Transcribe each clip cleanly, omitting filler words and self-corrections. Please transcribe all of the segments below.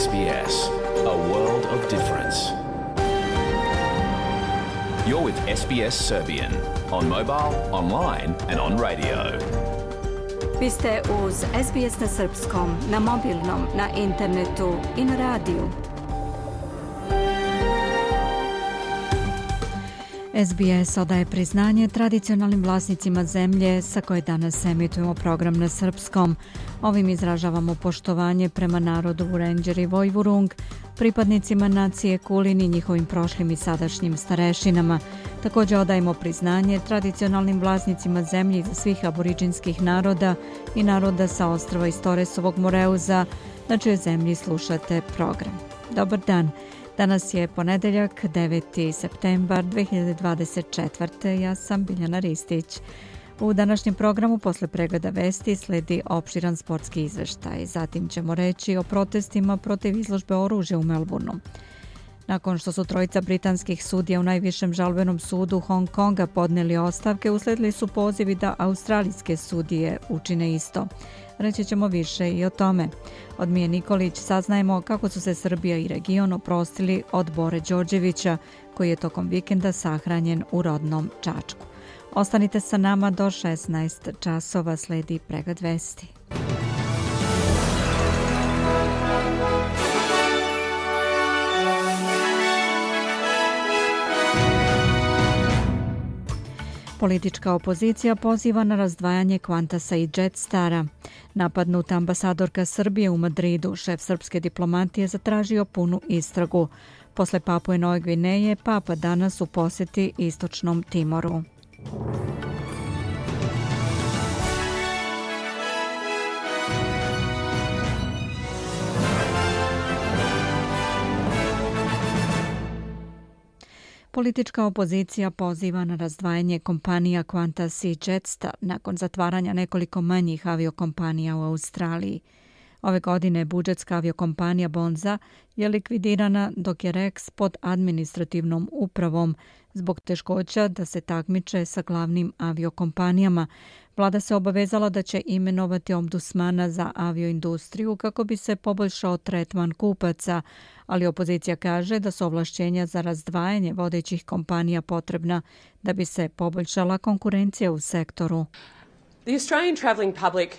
SBS, a world of difference. You're with SBS Serbian on mobile, online and on radio. Vi ste uz SBS na srpskom, na mobilnom, na internetu i na radiju. SBS odaje priznanje tradicionalnim vlasnicima zemlje sa koje danas emitujemo program na srpskom. Ovim izražavamo poštovanje prema narodu Vurenđer i Vojvurung, pripadnicima nacije Kulin i njihovim prošlim i sadašnjim starešinama. Također odajemo priznanje tradicionalnim vlasnicima zemlje iz svih aboriđinskih naroda i naroda sa ostrva iz Toresovog Moreuza, na čijoj zemlji slušate program. Dobar dan. Danas je ponedeljak, 9. septembar 2024. Ja sam Biljana Ristić. U današnjem programu posle pregleda vesti sledi opširan sportski izveštaj. Zatim ćemo reći o protestima protiv izložbe oružja u Melbourneu. Nakon što su trojica britanskih sudija u najvišem žalbenom sudu Hong Konga podneli ostavke, usledili su pozivi da australijske sudije učine isto. Reći ćemo više i o tome. Od Mije Nikolić saznajemo kako su se Srbija i region oprostili od Bore Đorđevića, koji je tokom vikenda sahranjen u rodnom Čačku. Ostanite sa nama do 16 časova, sledi pregled vesti. Politička opozicija poziva na razdvajanje Qantasa i Jetstar-a. Napadnuta ambasadorka Srbije u Madridu, šef srpske diplomatije, zatražio punu istragu. Posle Papue Nove Gvineje, Papa danas u posjeti Istočnom Timoru. Politička opozicija poziva na razdvajanje kompanija Qantas i Jetstar nakon zatvaranja nekoliko manjih aviokompanija u Australiji. Ove godine budžetska aviokompanija Bonza je likvidirana, dok je Rex pod administrativnom upravom zbog teškoća da se takmiče sa glavnim aviokompanijama. Vlada se obavezala da će imenovati ombudsmana za avioindustriju kako bi se poboljšao tretman kupaca, ali opozicija kaže da su ovlašćenja za razdvajanje vodećih kompanija potrebna da bi se poboljšala konkurencija u sektoru. The Australian travelling public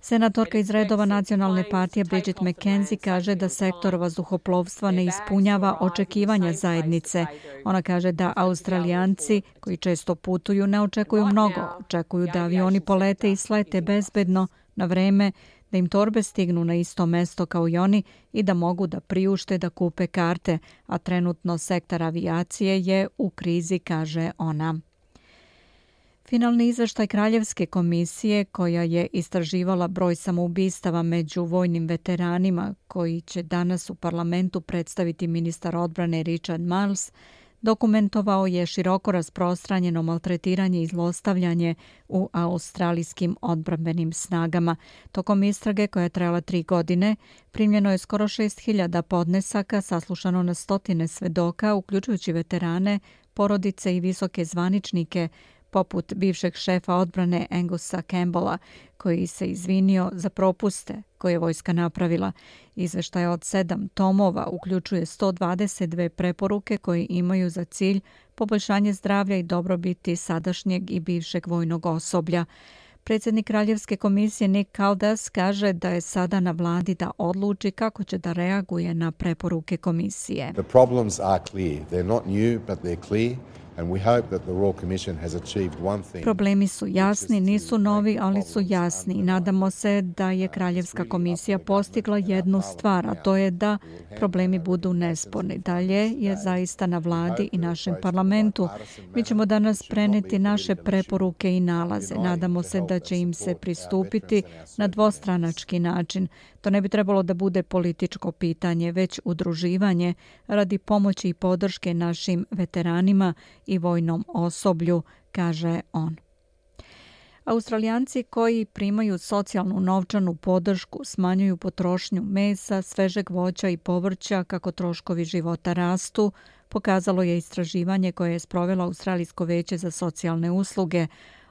Senatorka iz redova Nacionalne partije Bridget McKenzie kaže da sektor vazduhoplovstva ne ispunjava očekivanja zajednice. Ona kaže da Australijanci koji često putuju ne očekuju mnogo, očekuju da avioni polete i slete bezbedno na vreme, da im torbe stignu na isto mesto kao i oni i da mogu da priušte da kupe karte, a trenutno sektor avijacije je u krizi, kaže ona. Finalni izveštaj Kraljevske komisije, koja je istraživala broj samoubistava među vojnim veteranima, koji će danas u parlamentu predstaviti ministar odbrane Richard Marles, dokumentovao je široko rasprostranjeno maltretiranje i zlostavljanje u australijskim odbrambenim snagama. Tokom istrage, koja je trajala 3 godine, primljeno je skoro 6.000 podnesaka, saslušano na stotine svedoka, uključujući veterane, porodice i visoke zvaničnike, poput bivšeg šefa odbrane Angusa Campbella, koji se izvinio za propuste koje je vojska napravila. Izveštaj od 7 tomova uključuje 122 preporuke koje imaju za cilj poboljšanje zdravlja i dobrobiti sadašnjeg i bivšeg vojnog osoblja. Predsjednik Kraljevske komisije Nick Caldas kaže da je sada na vladi da odluči kako će da reaguje na preporuke komisije. The problems are clear. They're not new, but they're clear. Problemi su jasni, nisu novi, ali su jasni i nadamo se da je Kraljevska komisija postigla jednu stvar, a to je da problemi budu nesporni. Dalje je zaista na vladi i našem parlamentu. Mi ćemo danas preneti naše preporuke i nalaze. Nadamo se da će im se pristupiti na dvostranački način. To ne bi trebalo da bude političko pitanje, već udruživanje radi pomoći i podrške našim veteranima i vojnom osoblju, kaže on. Australijanci koji primaju socijalnu novčanu podršku smanjuju potrošnju mesa, svežeg voća i povrća kako troškovi života rastu, pokazalo je istraživanje koje je sprovelo Australijsko veće za socijalne usluge.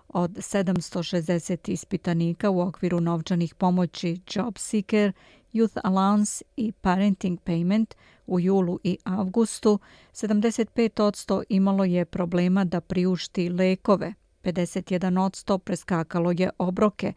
Od 760 ispitanika u okviru novčanih pomoći JobSeeker Youth Allowance i Parenting Payment u julu i avgustu, 75% imalo je problema da priušti lekove, 51% preskakalo je obroke,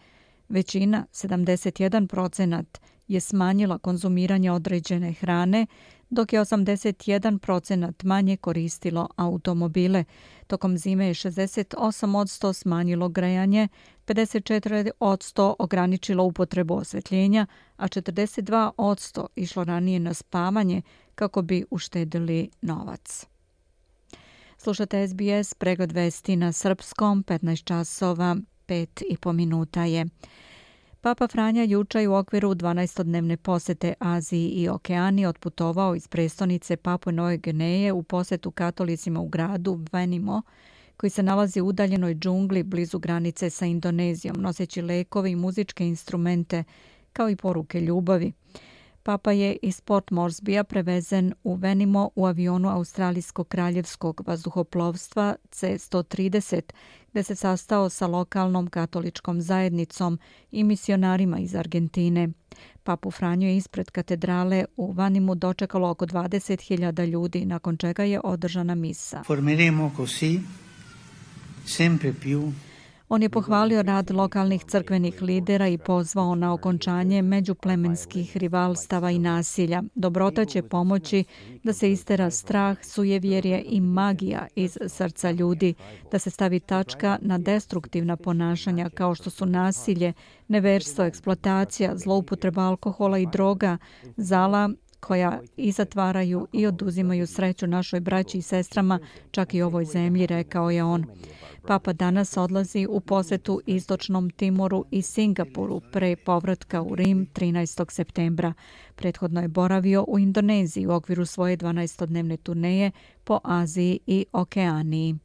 većina, 71%, je smanjila konzumiranje određene hrane, dok je 81% manje koristilo automobile. Tokom zime je 68% smanjilo grejanje, 54% ograničilo upotrebu osvetljenja, a 42% išlo ranije na spavanje kako bi uštedili novac. Slušate SBS, pregled vesti na srpskom, 15 časova, 5,5 minuta je. Papa Franja juče je u okviru 12-dnevne posete Aziji i Okeaniji otputovao iz prestonice Papue Nove Gvineje u posetu katolicima u gradu Venimo, koji se nalazi u udaljenoj džungli blizu granice sa Indonezijom, noseći lekove i muzičke instrumente, kao i poruke ljubavi. Papa je iz Port Moresbya prevezen u Venimo u avionu Australijskog kraljevskog vazduhoplovstva C-130, gde se sastao sa lokalnom katoličkom zajednicom i misionarima iz Argentine. Papu Franju je ispred katedrale u Vanimu dočekalo oko 20.000 ljudi, nakon čega je održana misa. Formeremo così sempre più. On je pohvalio rad lokalnih crkvenih lidera i pozvao na okončanje međuplemenskih rivalstava i nasilja. Dobrota će pomoći da se istera strah, sujevjerje i magija iz srca ljudi, da se stavi tačka na destruktivna ponašanja kao što su nasilje, neverstvo, eksploatacija, zloupotreba alkohola i droga, zala koja i zatvaraju i oduzimaju sreću našoj braći i sestrama, čak i ovoj zemlji, rekao je on. Papa danas odlazi u posetu Istočnom Timoru i Singapuru pre povratka u Rim 13. septembra. Prethodno je boravio u Indoneziji u okviru svoje 12-dnevne turneje po Aziji i Okeaniji.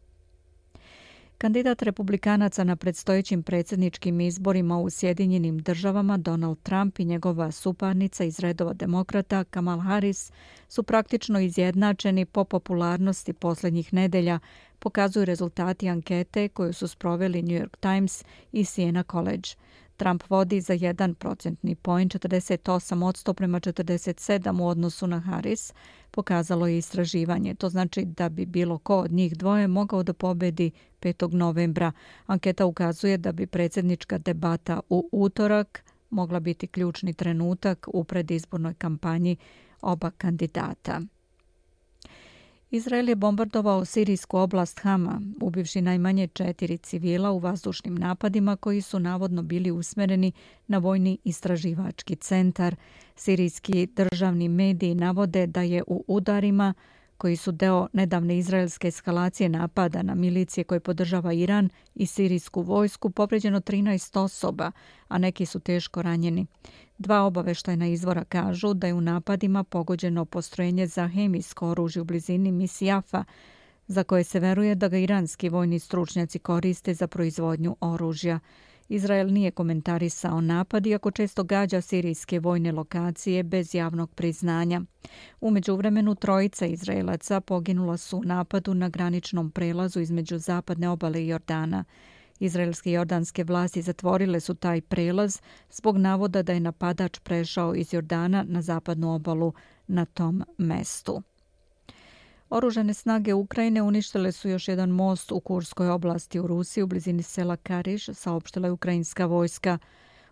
Kandidat republikanaca na predstojećim predsjedničkim izborima u Sjedinjenim državama Donald Trump i njegova suparnica iz redova demokrata Kamala Harris su praktično izjednačeni po popularnosti posljednjih nedelja, pokazuju rezultati ankete koju su sproveli New York Times i Siena College. Trump vodi za 1 procentni poen, 48% prema 47% u odnosu na Harris, pokazalo je istraživanje. To znači da bi bilo ko od njih dvoje mogao da pobedi 5. novembra. Anketa ukazuje da bi predsjednička debata u utorak mogla biti ključni trenutak u predizbornoj kampanji oba kandidata. Izrael je bombardovao sirijsku oblast Hama, ubivši najmanje 4 civila u vazdušnim napadima koji su navodno bili usmereni na vojni istraživački centar. Sirijski državni mediji navode da je u udarima, koji su deo nedavne izraelske eskalacije napada na milicije koje podržava Iran i sirijsku vojsku, povređeno 13 osoba, a neki su teško ranjeni. 2 obaveštajna izvora kažu da je u napadima pogođeno postrojenje za hemijsko oružje u blizini Misjafa, za koje se veruje da ga iranski vojni stručnjaci koriste za proizvodnju oružja. Izrael nije komentarisao napad, iako često gađa sirijske vojne lokacije bez javnog priznanja. U međuvremenu 3 Izraelaca poginula su u napadu na graničnom prelazu između zapadne obale i Jordana. Izraelske i jordanske vlasti zatvorile su taj prelaz zbog navoda da je napadač prešao iz Jordana na zapadnu obalu na tom mestu. Oružane snage Ukrajine uništile su još jedan most u Kurskoj oblasti u Rusiji u blizini sela Kariš, saopštila je ukrajinska vojska.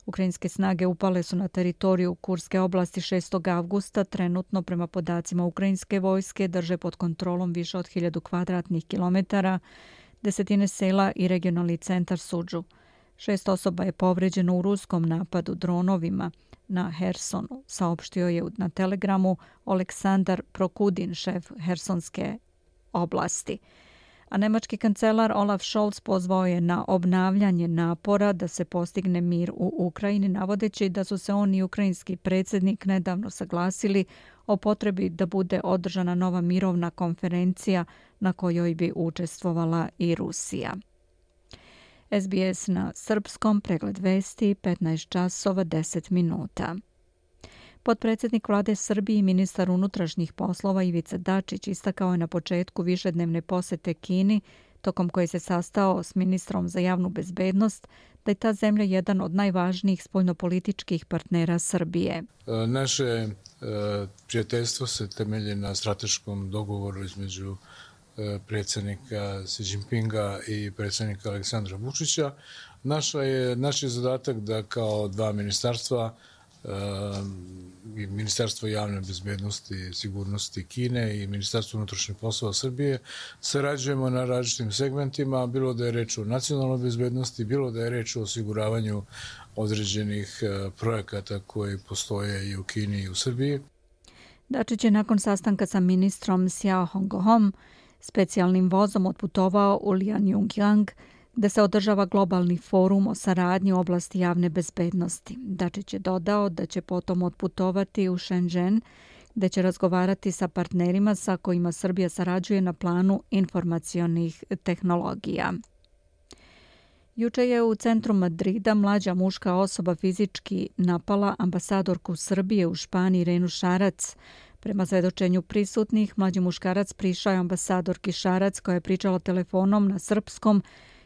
Ukrajinske snage upale su na teritoriju Kurske oblasti 6. avgusta. Trenutno, prema podacima ukrajinske vojske, drže pod kontrolom više od 1000 kvadratnih kilometara, desetine sela i regionalni centar Sudžu. 6 osoba je povređeno u ruskom napadu dronovima na Hersonu, saopštio je na Telegramu Oleksandar Prokudin, šef Hersonske oblasti. A nemački kancelar Olaf Scholz pozvao je na obnavljanje napora da se postigne mir u Ukrajini, navodeći da su se on i ukrajinski predsjednik nedavno saglasili o potrebi da bude održana nova mirovna konferencija na kojoj bi učestvovala i Rusija. SBS na srpskom, pregled vesti, 15 časova 10 minuta. Potpredsjednik vlade Srbije i ministar unutrašnjih poslova Ivica Dačić istakao je na početku višednevne posete Kini tokom koje se sastao s ministrom za javnu bezbednost, da je ta zemlja jedan od najvažnijih spoljnopolitičkih partnera Srbije. Naše prijateljstvo se temelji na strateškom dogovoru između predsjednika Xi Jinpinga i predsjednika Aleksandra Vučića. Naš je zadatak da kao dva ministarstva, Ministarstvo javne bezbednosti i sigurnosti Kine i Ministarstvo unutrašnjih poslova Srbije, sarađujemo na različitim segmentima, bilo da je reč o nacionalnoj bezbednosti, bilo da je reč o osiguravanju određenih projekata koji postoje i u Kini i u Srbiji. Dačić je nakon sastanka sa ministrom Xiao Hongom specijalnim vozom otputovao u Lianyungyang, gde se održava globalni forum o saradnji u oblasti javne bezbednosti. Dačić je dodao da će potom otputovati u Shenzhen, gde će razgovarati sa partnerima sa kojima Srbija sarađuje na planu informacionih tehnologija. Juče je u centru Madrida mlađa muška osoba fizički napala ambasadorku Srbije u Španiji Irenu Šarac. Prema svedočenju prisutnih, mlađi muškarac prišao je ambasadorki Šarac koja je pričala telefonom na srpskom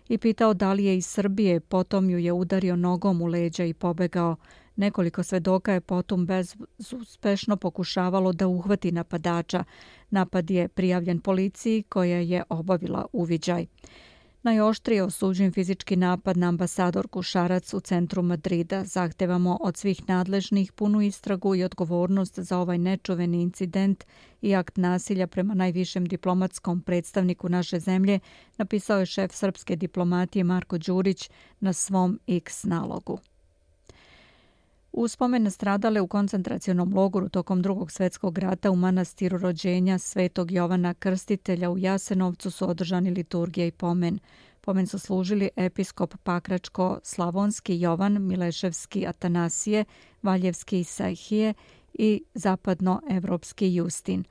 i pitao da li je iz Srbije, potom ju je udario nogom u leđa i pobegao. Nekoliko svedoka je potom bezuspešno pokušavalo da uhvati napadača. Napad je prijavljen policiji koja je obavila uviđaj. Najoštrije osuđujem fizički napad na ambasadorku Šarac u centru Madrida. Zahtevamo od svih nadležnih punu istragu i odgovornost za ovaj nečuveni incident i akt nasilja prema najvišem diplomatskom predstavniku naše zemlje, napisao je šef srpske diplomatije Marko Đurić na svom X nalogu. U spomen nastradale u koncentracionom logoru tokom Drugog svjetskog rata u manastiru rođenja Svetog Jovana Krstitelja u Jasenovcu su održani liturgija i pomen. Pomen su služili episkop Pakračko-Slavonski Jovan Mileševski Atanasije, Valjevski Isahije i zapadnoevropski Justin.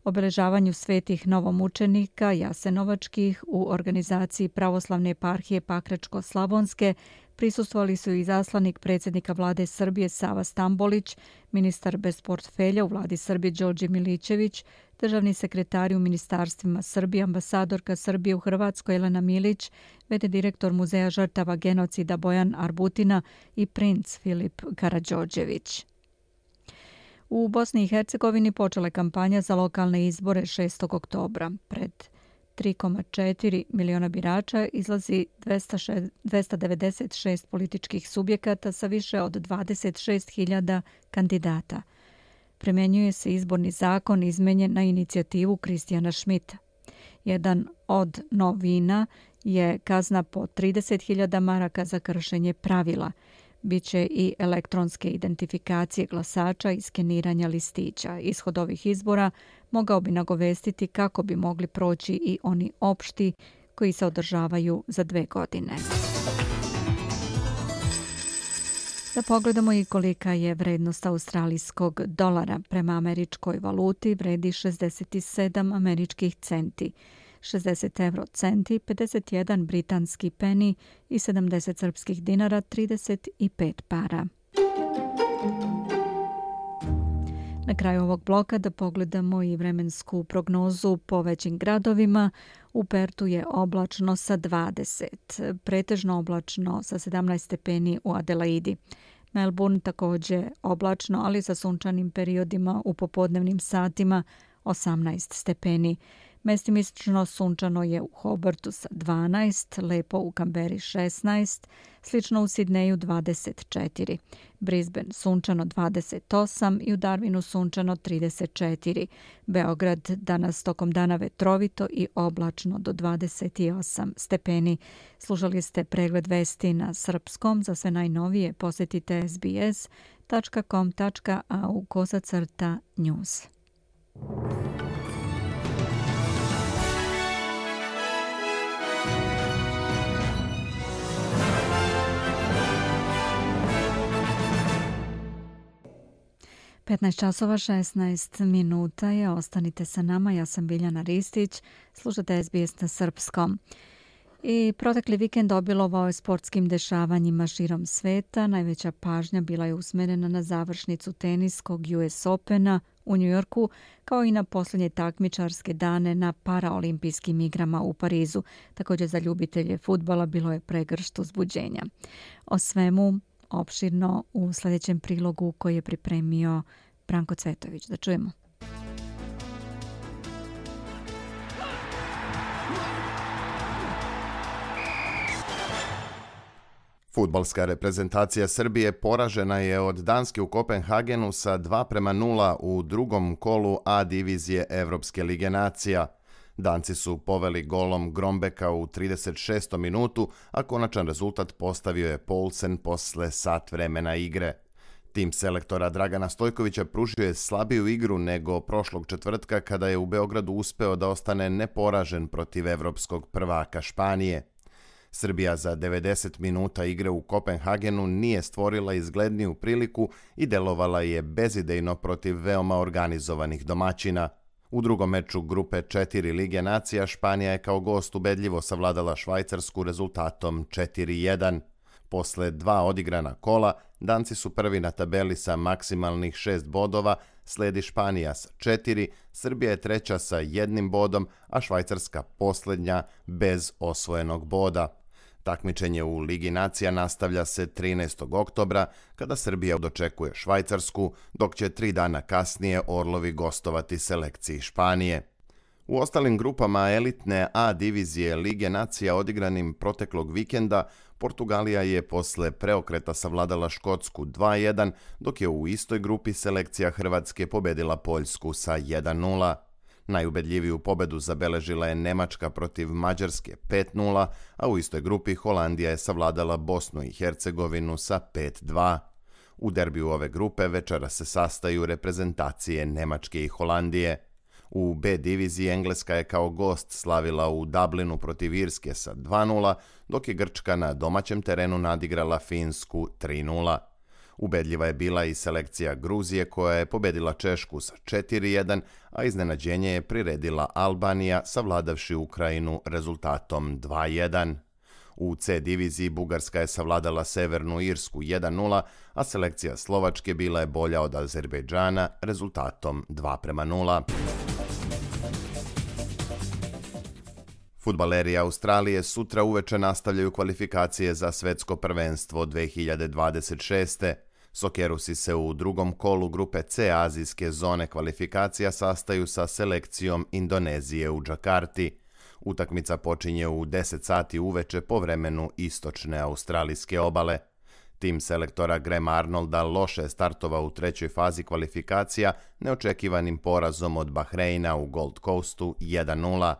Obeležavanju svetih novomučenika jasenovačkih u organizaciji Pravoslavne eparhije Pakračko-Slavonske prisustvovali su i zaslanik predsjednika vlade Srbije Sava Stambolić, ministar bez portfelja u vladi Srbije Đorđe Milićević, državni sekretari u ministarstvima Srbije, ambasadorka Srbije u Hrvatskoj Jelena Milić, v.d. direktor Muzeja žrtava genocida Bojan Arbutina i princ Filip Karađorđević. U Bosni i Hercegovini počela je kampanja za lokalne izbore 6. oktobra. Pred 3,4 miliona birača izlazi 296 političkih subjekata sa više od 26.000 kandidata. Primjenjuje se izborni zakon izmenjen na inicijativu Kristijana Šmita. Jedan od novina je kazna po 30.000 maraka za kršenje pravila. Biće i elektronske identifikacije glasača i skeniranja listića. Ishod ovih izbora mogao bi nagovestiti kako bi mogli proći i oni opšti koji se održavaju za 2 godine. Da pogledamo i kolika je vrednost australijskog dolara. Prema američkoj valuti vredi 67 američkih centi, 60 euro centi, 51 britanski peni i 70 srpskih dinara, 35 para. Na kraju ovog bloka da pogledamo i vremensku prognozu po većim gradovima. U Pertu je oblačno sa 20, pretežno oblačno sa 17 stepeni u Adelaidi. Melbourne također oblačno, ali sa sunčanim periodima u popodnevnim satima 18 stepeni. Mestimično sunčano je u Hobartu sa 12, lepo u Kamberi 16, slično u Sidneju 24, Brisbane sunčano 28 i u Darwinu sunčano 34. Beograd danas tokom dana vetrovito i oblačno do 28 stepeni. Slušali ste pregled vesti na srpskom. Za sve najnovije posjetite sbs.com.au/news. (15:16) je. Ostanite sa nama. Ja sam Biljana Ristić. Slušate SBS na srpskom. I protekli vikend obilovao je sportskim dešavanjima širom sveta. Najveća pažnja bila je usmerena na završnicu teniskog US Opena u Njujorku, kao i na posljednje takmičarske dane na paraolimpijskim igrama u Parizu. Također za ljubitelje fudbala bilo je pregršt uzbuđenja. O svemu opširno u sljedećem prilogu koji je pripremio Branko Cvetović. Da čujemo. Fudbalska reprezentacija Srbije poražena je od Danske u Kopenhagenu sa 2:0 u drugom kolu A divizije Evropske lige nacija. Danci su poveli golom Grombeka u 36. minutu, a konačan rezultat postavio je Poulsen posle sat vremena igre. Tim selektora Dragana Stojkovića pružio je slabiju igru nego prošlog četvrtka kada je u Beogradu uspeo da ostane neporažen protiv evropskog prvaka Španije. Srbija za 90 minuta igre u Kopenhagenu nije stvorila izgledniju priliku i delovala je bezidejno protiv veoma organizovanih domaćina. U drugom meču grupe 4 Lige nacija Španija je kao gost ubedljivo savladala Švajcarsku rezultatom 4:1. Posle 2 odigrana kola, Danci su prvi na tabeli sa maksimalnih 6 bodova, sledi Španija sa 4, Srbija je treća sa 1 bodom, a Švajcarska posljednja bez osvojenog boda. Takmičenje u Ligi nacija nastavlja se 13. oktobra, kada Srbija dočekuje Švajcarsku, dok će 3 dana kasnije Orlovi gostovati selekciji Španije. U ostalim grupama elitne A divizije Lige nacija odigranim proteklog vikenda, Portugalija je posle preokreta savladala Škotsku 2:1, dok je u istoj grupi selekcija Hrvatske pobedila Poljsku sa 1:0. Najubedljiviju pobedu zabeležila je Nemačka protiv Mađarske 5:0, a u istoj grupi Holandija je savladala Bosnu i Hercegovinu sa 5:2. U derbiju ove grupe večera se sastaju reprezentacije Nemačke i Holandije. U B diviziji Engleska je kao gost slavila u Dublinu protiv Irske sa 2:0, dok je Grčka na domaćem terenu nadigrala Finsku 3:0. Ubedljiva je bila i selekcija Gruzije koja je pobedila Češku sa 4:1, a iznenađenje je priredila Albanija savladavši Ukrajinu rezultatom 2:1. U C diviziji Bugarska je savladala Severnu Irsku 1:0, a selekcija Slovačke bila je bolja od Azerbejdžana rezultatom 2:0. Fudbaleri Australije sutra uveče nastavljaju kvalifikacije za svetsko prvenstvo 2026. Sokerusi se u drugom kolu grupe C azijske zone kvalifikacija sastaju sa selekcijom Indonezije u Džakarti. Utakmica počinje u 10 sati uveče po vremenu istočne australijske obale. Tim selektora Grahama Arnolda loše je startovao u trećoj fazi kvalifikacija neočekivanim porazom od Bahreina u Gold Coastu 1:0.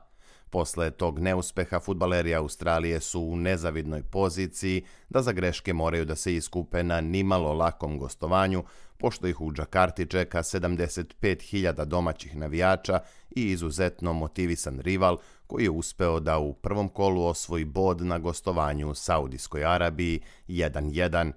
Posle tog neuspeha fudbaleri Australije su u nezavidnoj poziciji da za greške moraju da se iskupe na nimalo lakom gostovanju, pošto ih u Džakarti čeka 75.000 domaćih navijača i izuzetno motivisan rival koji je uspeo da u prvom kolu osvoji bod na gostovanju u Saudijskoj Arabiji 1:1.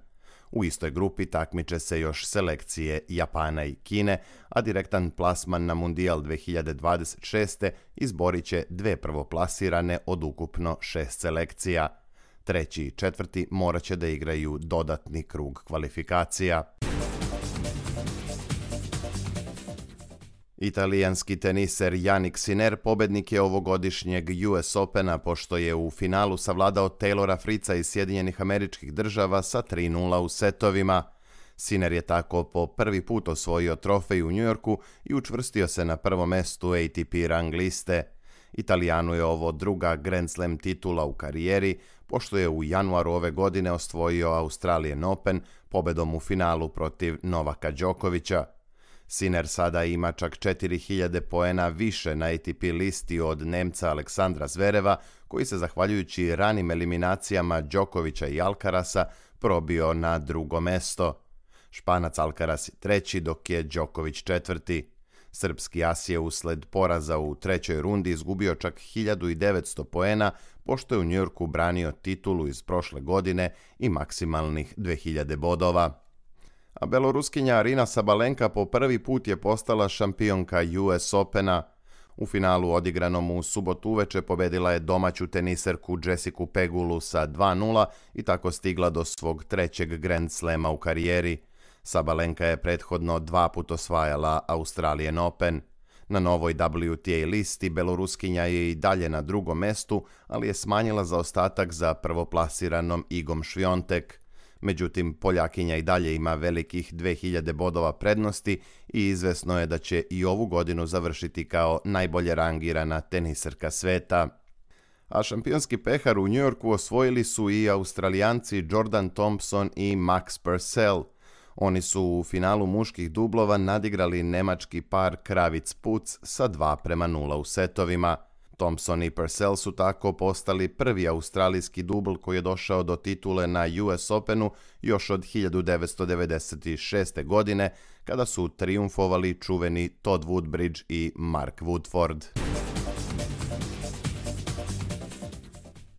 U istoj grupi takmiče se još selekcije Japana i Kine, a direktan plasman na Mundijal 2026. izborit će 2 prvoplasirane od ukupno 6 selekcija. Treći i četvrti morat će da igraju dodatni krug kvalifikacija. Italijanski teniser Jannik Sinner pobednik je ovogodišnjeg US Opena pošto je u finalu savladao Taylora Fritza iz Sjedinjenih Američkih Država sa 3:0 u setovima. Sinner je tako po prvi put osvojio trofej u Njujorku i učvrstio se na prvom mestu ATP rang liste. Italijanu je ovo druga Grand Slam titula u karijeri, pošto je u januaru ove godine osvojio Australian Open pobedom u finalu protiv Novaka Đokovića. Sinner sada ima čak 4000 poena više na ATP listi od Nemca Aleksandra Zvereva, koji se zahvaljujući ranim eliminacijama Đokovića i Alcarasa probio na drugo mesto. Španac Alcaraz je treći, dok je Đoković četvrti. Srpski as je usled poraza u trećoj rundi izgubio čak 1900 poena, pošto je u Njujorku branio titulu iz prošle godine i maksimalnih 2000 bodova. A beloruskinja Arina Sabalenka po prvi put je postala šampionka US Opena. U finalu odigranom u subotu uveče pobedila je domaću teniserku Jessicu Pegulu sa 2:0 i tako stigla do svog trećeg Grand Slama u karijeri. Sabalenka je prethodno 2 puta osvajala Australian Open. Na novoj WTA listi Beloruskinja je i dalje na drugom mestu, ali je smanjila zaostatak za prvoplasiranom Igom Šviontek. Međutim, Poljakinja i dalje ima velikih 2000 bodova prednosti i izvesno je da će i ovu godinu završiti kao najbolje rangirana teniserka sveta. A šampionski pehar u Njujorku osvojili su i Australijanci Jordan Thompson i Max Purcell. Oni su u finalu muških dublova nadigrali nemački par Kravic-Puc sa 2:0 u setovima. Thompson i Purcell su tako postali prvi australijski dubl koji je došao do titule na US Openu još od 1996. godine, kada su trijumfovali čuveni Todd Woodbridge i Mark Woodford.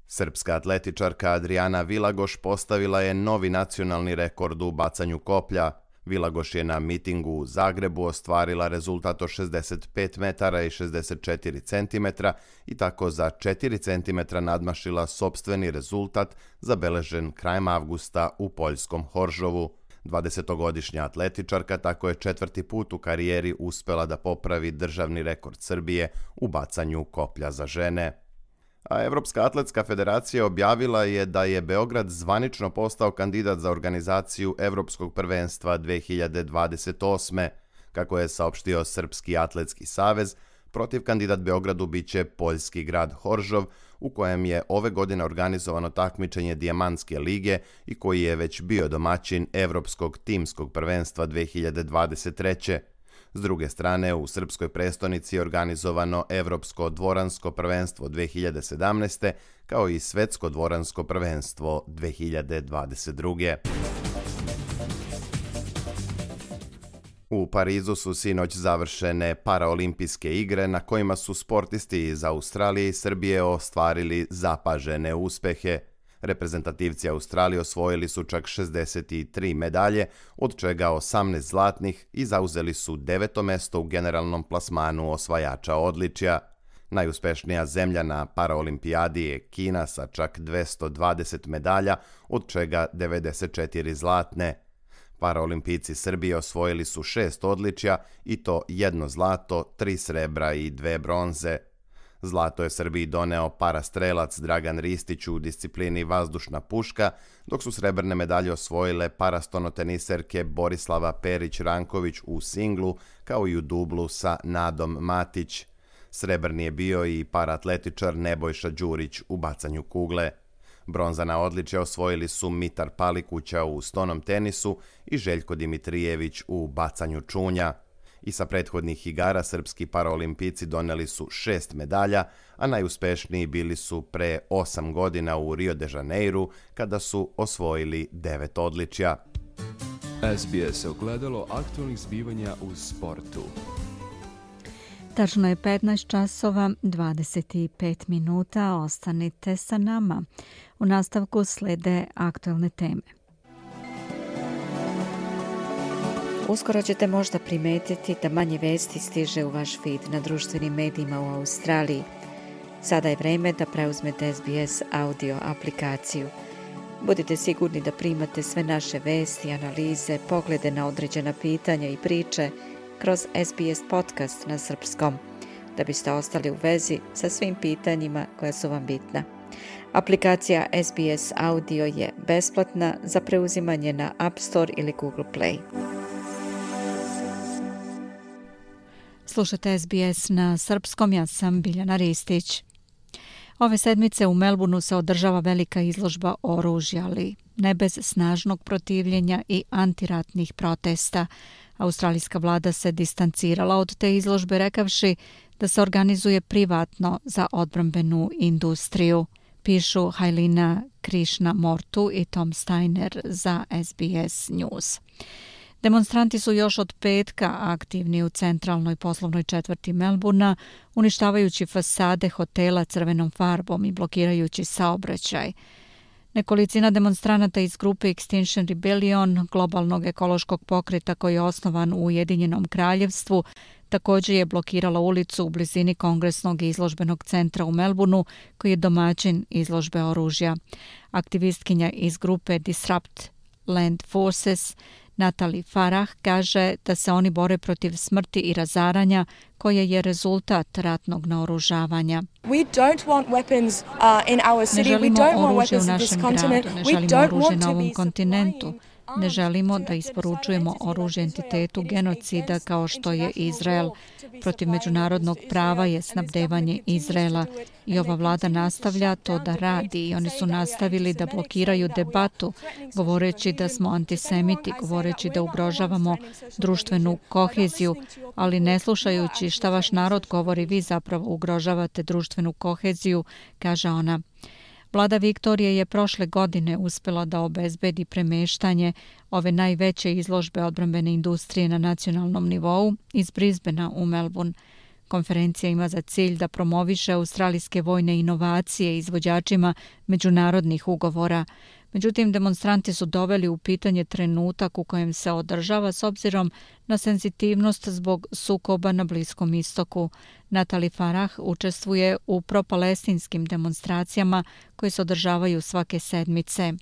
Srpska atletičarka Adriana Vilagoš postavila je novi nacionalni rekord u bacanju koplja. Vilagoš je na mitingu u Zagrebu ostvarila rezultat od 65 metara i 64 centimetra i tako za 4 centimetra nadmašila sopstveni rezultat zabeležen krajem avgusta u poljskom Horžovu. 20-godišnja atletičarka tako je 4. put u karijeri uspela da popravi državni rekord Srbije u bacanju koplja za žene. A Evropska atletska federacija objavila je da je Beograd zvanično postao kandidat za organizaciju Evropskog prvenstva 2028. Kako je saopštio Srpski atletski savez, protiv kandidat Beogradu biće poljski grad Horžov, u kojem je ove godine organizovano takmičenje Dijamantske lige i koji je već bio domaćin Evropskog timskog prvenstva 2023. S druge strane, u srpskoj prestonici je organizovano Evropsko dvoransko prvenstvo 2017. kao i Svetsko dvoransko prvenstvo 2022. U Parizu su sinoć završene paraolimpijske igre na kojima su sportisti iz Australije i Srbije ostvarili zapažene uspehe. Reprezentativci Australije osvojili su čak 63 medalje, od čega 18 zlatnih i zauzeli su 9. mesto u generalnom plasmanu osvajača odličja. Najuspešnija zemlja na paraolimpijadi je Kina sa čak 220 medalja, od čega 94 zlatne. Paraolimpijci Srbije osvojili su 6 odličja i to 1 zlato, 3 srebra i 2 bronze. Zlato je Srbiji doneo parastrelac Dragan Ristić u disciplini vazdušna puška, dok su srebrne medalje osvojile parastonoteniserke Borislava Perić-Ranković u singlu, kao i u dublu sa Nadom Matić. Srebrni je bio i paratletičar Nebojša Đurić u bacanju kugle. Bronzana odličja osvojili su Mitar Palikuća u stonom tenisu i Željko Dimitrijević u bacanju čunja. I sa prethodnih igara srpski paraolimpijci doneli su 6 medalja, a najuspešniji bili su pre 8 godina u Rio de Janeiru, kada su osvojili 9 odličja. SBS ogledalo aktualnih zbivanja u sportu. Tačno je 15 časova, 25 minuta. Ostanite sa nama. U nastavku slede aktualne teme. Uskoro ćete možda primetiti da manje vesti stiže u vaš feed na društvenim medijima u Australiji. Sada je vreme da preuzmete SBS audio aplikaciju. Budite sigurni da primate sve naše vesti, analize, poglede na određena pitanja i priče kroz SBS podcast na srpskom, da biste ostali u vezi sa svim pitanjima koja su vam bitna. Aplikacija SBS Audio je besplatna za preuzimanje na App Store ili Google Play. Slušate SBS na srpskom, ja sam Biljana Ristić. Ove sedmice u Melbourneu se održava velika izložba oružja, ali ne bez snažnog protivljenja i antiratnih protesta. Australijska vlada se distancirala od te izložbe rekavši da se organizuje privatno za odbrambenu industriju, pišu Hailina Krishnamurthy i Tom Steiner za SBS News. Demonstranti su još od petka aktivni u centralnoj poslovnoj četvrti Melbournea, uništavajući fasade hotela crvenom farbom i blokirajući saobraćaj. Nekolicina demonstranata iz grupe Extinction Rebellion, globalnog ekološkog pokreta koji je osnovan u Ujedinjenom kraljevstvu, Također je blokirala ulicu u blizini Kongresnog izložbenog centra u Melbourneu, koji je domaćin izložbe oružja. Aktivistkinja iz grupe Disrupt Land Forces Natalie Farah kaže da se oni bore protiv smrti i razaranja koje je rezultat ratnog naoružavanja. Ne želimo oružje u našem gradu, ne želimo oružje na ovom kontinentu. Ne želimo da isporučujemo oružje entitetu genocida kao što je Izrael. Protiv međunarodnog prava je snabdevanje Izraela i ova vlada nastavlja to da radi i oni su nastavili da blokiraju debatu, govoreći da smo antisemiti, govoreći da ugrožavamo društvenu koheziju, ali ne slušajući šta vaš narod govori, vi zapravo ugrožavate društvenu koheziju, kaže ona. Vlada Viktorije je prošle godine uspjela da obezbedi premeštanje ove najveće izložbe odbrambene industrije na nacionalnom nivou iz Brisbanea u Melbourne. Konferencija ima za cilj da promoviše australijske vojne inovacije izvođačima međunarodnih ugovora. Međutim, demonstranti su doveli u pitanje trenutak u kojem se održava s obzirom na senzitivnost zbog sukoba na Bliskom istoku. Natalie Farah učestvuje u propalestinskim demonstracijama koje se održavaju svake sedmice.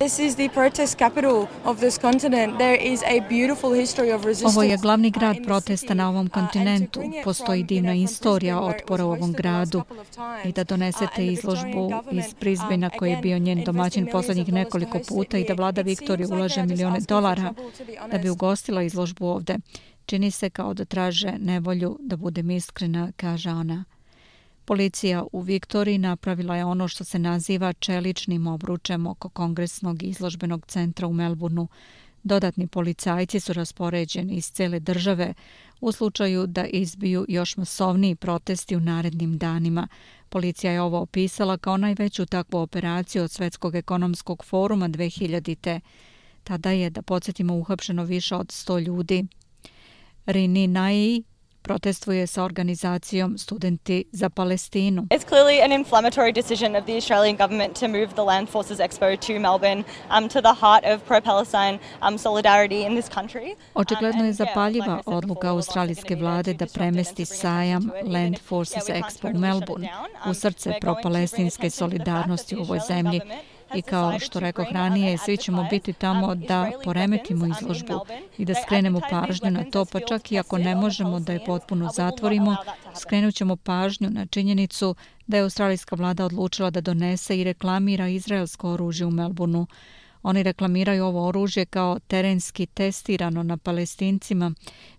Ovo je glavni grad protesta na ovom kontinentu. Postoji divna istorija otpora u ovom gradu. I da donesete izložbu iz Brisbanea koji je bio njen domaćin posljednjih nekoliko puta i da vlada Viktorije ulaže $1 miliona da bi ugostila izložbu ovde. Čini se kao da traže nevolju, da budem iskrena, kaže ona. Policija u Viktoriji napravila je ono što se naziva čeličnim obručem oko Kongresnog izložbenog centra u Melbourneu. Dodatni policajci su raspoređeni iz cele države u slučaju da izbiju još masovniji protesti u narednim danima. Policija je ovo opisala kao najveću takvu operaciju od Svetskog ekonomskog foruma 2000. Tada je, da podsjetimo, uhapšeno više od 100 ljudi. Rini Nai protestuje sa organizacijom Studenti za Palestinu. It's clearly an inflammatory decision of the Australian government to move the Land Forces Expo to Melbourne, to the heart of pro-Palestine solidarity in this country. Očigledno je zapaljiva odluka australijske vlade da premesti sajam Land Forces Expo u Melbourne, u srce pro-palestinske solidarnosti u ovoj zemlji. I kao što rekoh ranije, svi ćemo biti tamo da poremetimo izložbu i da skrenemo pažnju na to, pa čak i ako ne možemo da je potpuno zatvorimo, skrenut ćemo pažnju na činjenicu da je australijska vlada odlučila da donese i reklamira izraelsko oružje u Melbourneu. Oni reklamiraju ovo oružje kao terenski testirano na Palestincima.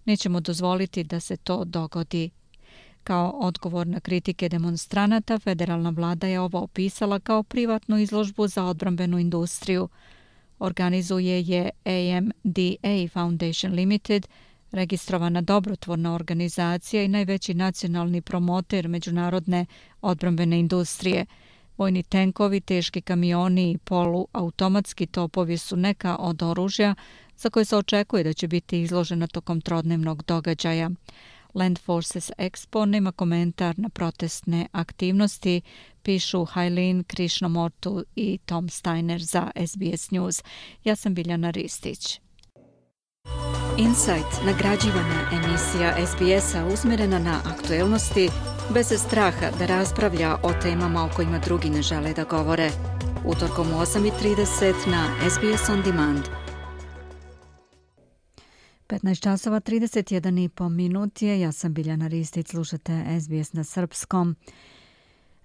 Nećemo dozvoliti da se to dogodi. Kao odgovor na kritike demonstranata, federalna vlada je ovo opisala kao privatnu izložbu za odbrambenu industriju. Organizuje je AMDA Foundation Limited, registrovana dobrotvorna organizacija i najveći nacionalni promoter međunarodne odbrambene industrije. Vojni tenkovi, teški kamioni i poluautomatski topovi su neka od oružja za koje se očekuje da će biti izložena tokom trodnevnog događaja. Land Forces Expo nema komentar na protestne aktivnosti, pišu Hailin Krishnamurthy i Tom Steiner za SBS News. Ja sam Biljana Ristić. Insight, nagrađivana emisija SBS-a usmjerena na aktuelnosti, bez straha da raspravlja o temama o kojima drugi ne žele da govore. Utorkom u 8:30 na SBS On Demand. 15 časova 31,5 minut je. Ja sam Biljana Ristić, slušate SBS na srpskom.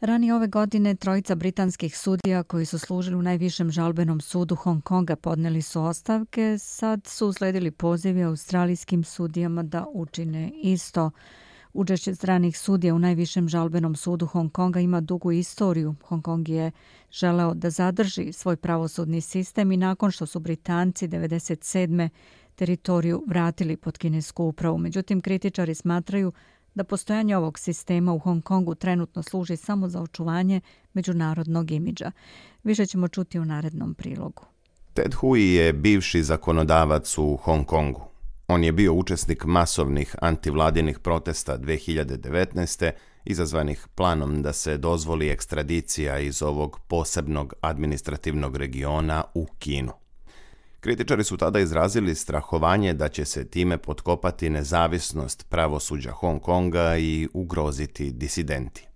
Ranije ove godine trojica britanskih sudija koji su služili u najvišem žalbenom sudu Hong Konga podneli su ostavke. Sad su usledili pozivi australijskim sudijama da učine isto. Učešće stranih sudija u najvišem žalbenom sudu Hong Konga ima dugu istoriju. Hong Kong je želeo da zadrži svoj pravosudni sistem i nakon što su Britanci 1997. teritoriju vratili pod kinesku upravu. Međutim, kritičari smatraju da postojanje ovog sistema u Hong Kongu trenutno služi samo za očuvanje međunarodnog imidža. Više ćemo čuti u narednom prilogu. Ted Hui je bivši zakonodavac u Hong Kongu. On je bio učesnik masovnih antivladinih protesta 2019. izazvanih planom da se dozvoli ekstradicija iz ovog posebnog administrativnog regiona u Kinu. Kritičari su tada izrazili strahovanje da će se time potkopati nezavisnost pravosuđa Hong Konga i ugroziti disidenti.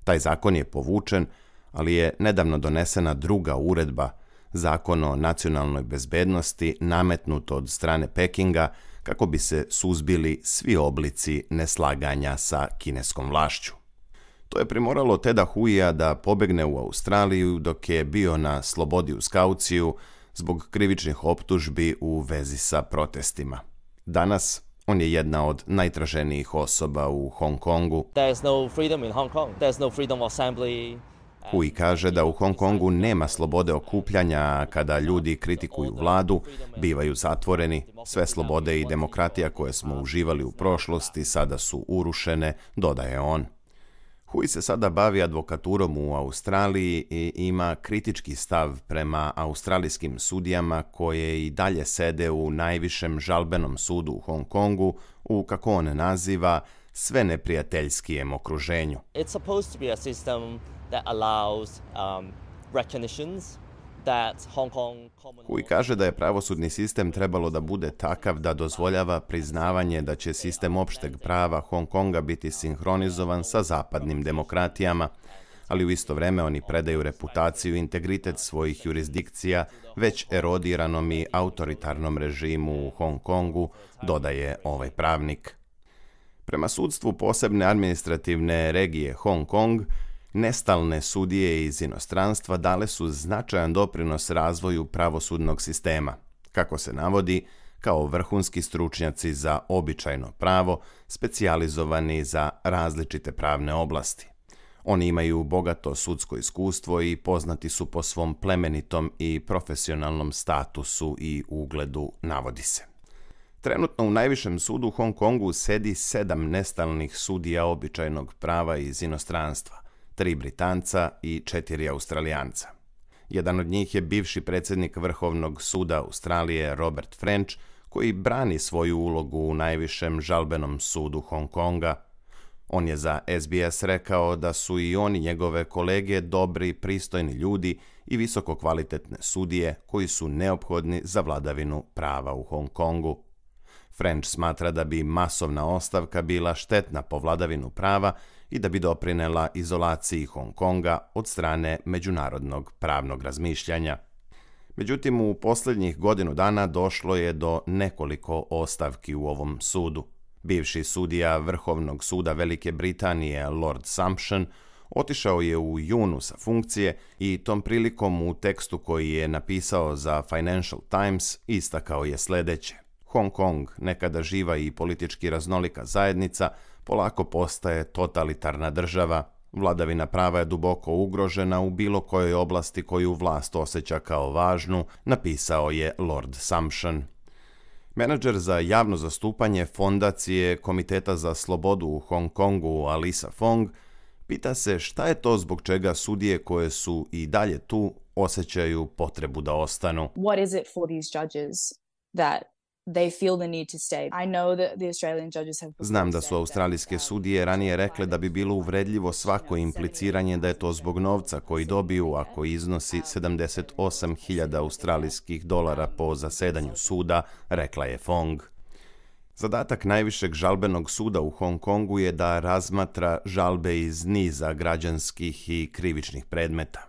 Taj zakon je povučen, ali je nedavno donesena druga uredba, Zakon o nacionalnoj bezbednosti, nametnut od strane Pekinga kako bi se suzbili svi oblici neslaganja sa kineskom vlašću. To je primoralo Teda Huija da pobegne u Australiju dok je bio na slobodi uz kauciju zbog krivičnih optužbi u vezi sa protestima. Danas on je jedna od najtraženijih osoba u Hong Kongu. Hui kaže da u Hong Kongu nema slobode okupljanja, a kada ljudi kritikuju vladu, bivaju zatvoreni. Sve slobode i demokratija koje smo uživali u prošlosti sada su urušene, dodaje on. Hui se sada bavi advokaturom u Australiji i ima kritički stav prema australijskim sudijama koje i dalje sede u najvišem žalbenom sudu u Hong Kongu u, kako on naziva, sve neprijateljskijem okruženju. It's supposed to be a system that allows recognitions that Hong Kong Hui kaže da je pravosudni sistem trebalo da bude takav da dozvoljava priznavanje da će sistem opšteg prava Hong Konga biti sinhronizovan sa zapadnim demokratijama, ali u isto vreme oni predaju reputaciju i integritet svojih jurisdikcija već erodiranom i autoritarnom režimu u Hong Kongu, dodaje ovaj pravnik. Prema sudstvu posebne administrativne regije Hong Kong, nestalne sudije iz inostranstva dale su značajan doprinos razvoju pravosudnog sistema, kako se navodi, kao vrhunski stručnjaci za običajno pravo, specijalizovani za različite pravne oblasti. Oni imaju bogato sudsko iskustvo i poznati su po svom plemenitom i profesionalnom statusu i ugledu, navodi se. Trenutno u najvišem sudu u Hong Kongu sedi 7 nestalnih sudija običajnog prava iz inostranstva, 3 Britanca i 4 Australijanca. Jedan od njih je bivši predsjednik Vrhovnog suda Australije Robert French, koji brani svoju ulogu u najvišem žalbenom sudu Hong Konga. On je za SBS rekao da su i oni njegove kolege dobri, pristojni ljudi i visoko kvalitetne sudije koji su neophodni za vladavinu prava u Hong Kongu. French smatra da bi masovna ostavka bila štetna po vladavinu prava i da bi doprinela izolaciji Hong Konga od strane međunarodnog pravnog razmišljanja. Međutim, u posljednjih godinu dana došlo je do nekoliko ostavki u ovom sudu. Bivši sudija Vrhovnog suda Velike Britanije Lord Sumption otišao je u junu sa funkcije i tom prilikom u tekstu koji je napisao za Financial Times istakao je sljedeće. Hong Kong, nekada živa i politički raznolika zajednica, polako postaje totalitarna država. Vladavina prava je duboko ugrožena u bilo kojoj oblasti koju vlast osjeća kao važnu, napisao je Lord Sumption. Menadžer za javno zastupanje Fondacije Komiteta za slobodu u Hong Kongu Alisa Fong pita se šta je to zbog čega sudije koje su i dalje tu osjećaju potrebu da ostanu. What is it for these judges that they feel the need to stay? I know that the Australian judges have... Znam da su australijske sudije ranije rekle da bi bilo uvredljivo svako impliciranje da je to zbog novca koji dobiju ako iznosi 78.000 australijskih dolara po zasedanju suda, rekla je Fong. Zadatak najvišeg žalbenog suda u Hong Kongu je da razmatra žalbe iz niza građanskih i krivičnih predmeta.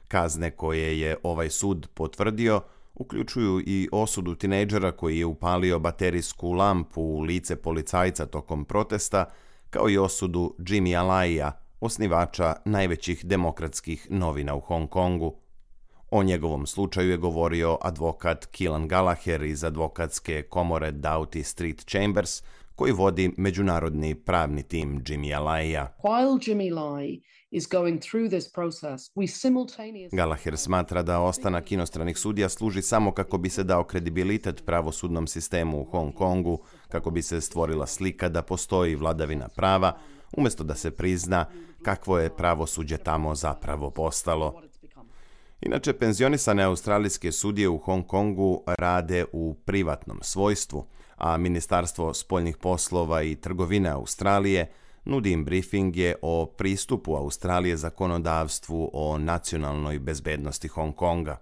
Kazne koje je ovaj sud potvrdio uključuju i osudu tinejdžera koji je upalio baterijsku lampu u lice policajca tokom protesta, kao i osudu Jimmy Alaija, osnivača najvećih demokratskih novina u Hong Kongu. O njegovom slučaju je govorio advokat Keelan Gallagher iz advokatske komore Doughty Street Chambers, koji vodi međunarodni pravni tim Jimmy Alaija. Gallagher smatra da ostanak inostranih sudija služi samo kako bi se dao kredibilitet pravosudnom sistemu u Hong Kongu, kako bi se stvorila slika da postoji vladavina prava, umjesto da se prizna kakvo je pravosuđe tamo zapravo postalo. Inače, penzionisane australijske sudije u Hong Kongu rade u privatnom svojstvu, a Ministarstvo spoljnih poslova i trgovine Australije nudi im briefinge o pristupu Australije zakonodavstvu o nacionalnoj bezbednosti Hong Konga.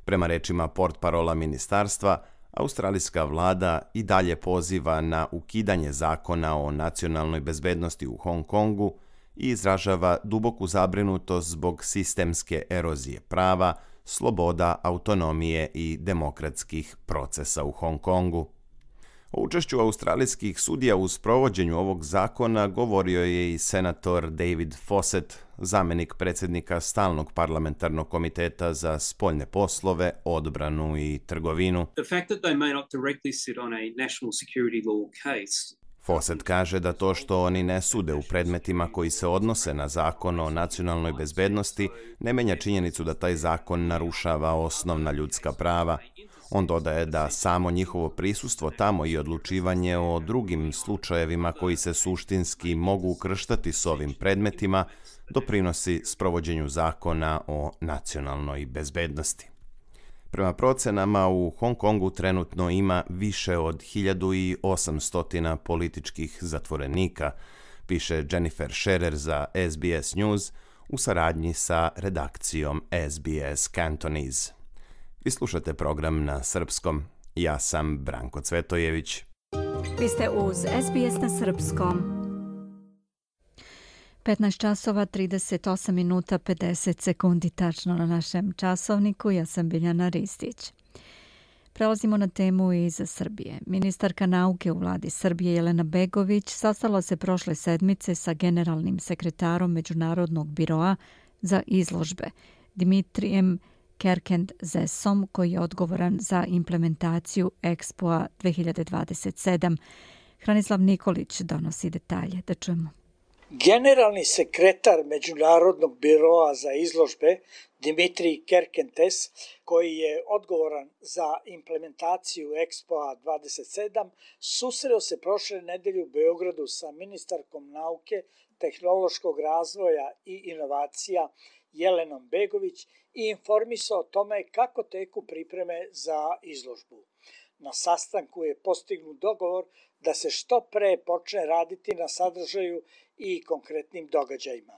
Prema rečima portparola ministarstva, australijska vlada i dalje poziva na ukidanje zakona o nacionalnoj bezbednosti u Hong Kongu i izražava duboku zabrinutost zbog sistemske erozije prava, sloboda, autonomije i demokratskih procesa u Hong Kongu. O učešću australijskih sudija u sprovođenju ovog zakona govorio je i senator David Fawcett, zamenik predsjednika Stalnog parlamentarnog komiteta za spoljne poslove, odbranu i trgovinu. Fawcett kaže da to što oni ne sude u predmetima koji se odnose na zakon o nacionalnoj bezbednosti ne menja činjenicu da taj zakon narušava osnovna ljudska prava. On dodaje da samo njihovo prisustvo tamo i odlučivanje o drugim slučajevima koji se suštinski mogu ukrštati s ovim predmetima doprinosi sprovođenju zakona o nacionalnoj bezbednosti. Prema procenama, u Hong Kongu trenutno ima više od 1800 političkih zatvorenika, piše Jennifer Scherer za SBS News u saradnji sa redakcijom SBS Cantonese. Vi slušate program na srpskom. Ja sam Branko Cvetojević. Vi ste uz SBS na srpskom. 15 časova, 38 minuta, 50 sekundi tačno na našem časovniku. Ja sam Biljana Ristić. Prelazimo na temu iz Srbije. Ministarka nauke u vladi Srbije Jelena Begović sastala se prošle sedmice sa generalnim sekretarom Međunarodnog biroa za izložbe Dimitrijem Kerkend-Zesom, koji je odgovoran za implementaciju Expoa 2027. Hranislav Nikolić donosi detalje. Da čujemo. Generalni sekretar Međunarodnog biroa za izložbe Dimitrij Kerkentes, koji je odgovoran za implementaciju Expoa 27, susreo se prošle nedelje u Beogradu sa ministarkom nauke, tehnološkog razvoja i inovacija Jelenom Begović i informisao o tome kako teku pripreme za izložbu. Na sastanku je postignut dogovor da se što pre počne raditi na sadržaju i konkretnim događajima.